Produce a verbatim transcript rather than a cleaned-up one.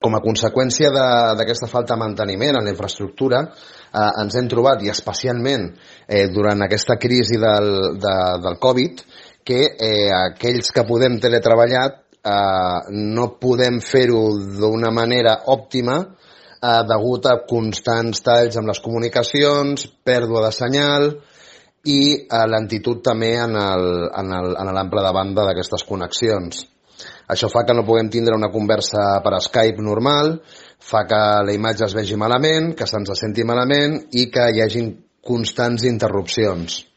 Com a conseqüència d'aquesta falta de manteniment en la infraestructura, eh, ens hem trobat, i especialment eh, durant aquesta crisi del, de, del Covid, que eh, aquells que podem teletreballar eh, no podem fer-ho d'una manera òptima eh, degut a constants talls amb les comunicacions, pèrdua de senyal i eh, lentitud també en l'ample de banda d'aquestes connexions. Això fa que no puguem tindre una conversa per Skype normal, fa que la imatge es vegi malament, que se'ns senti malament i que hi hagin constants interrupcions.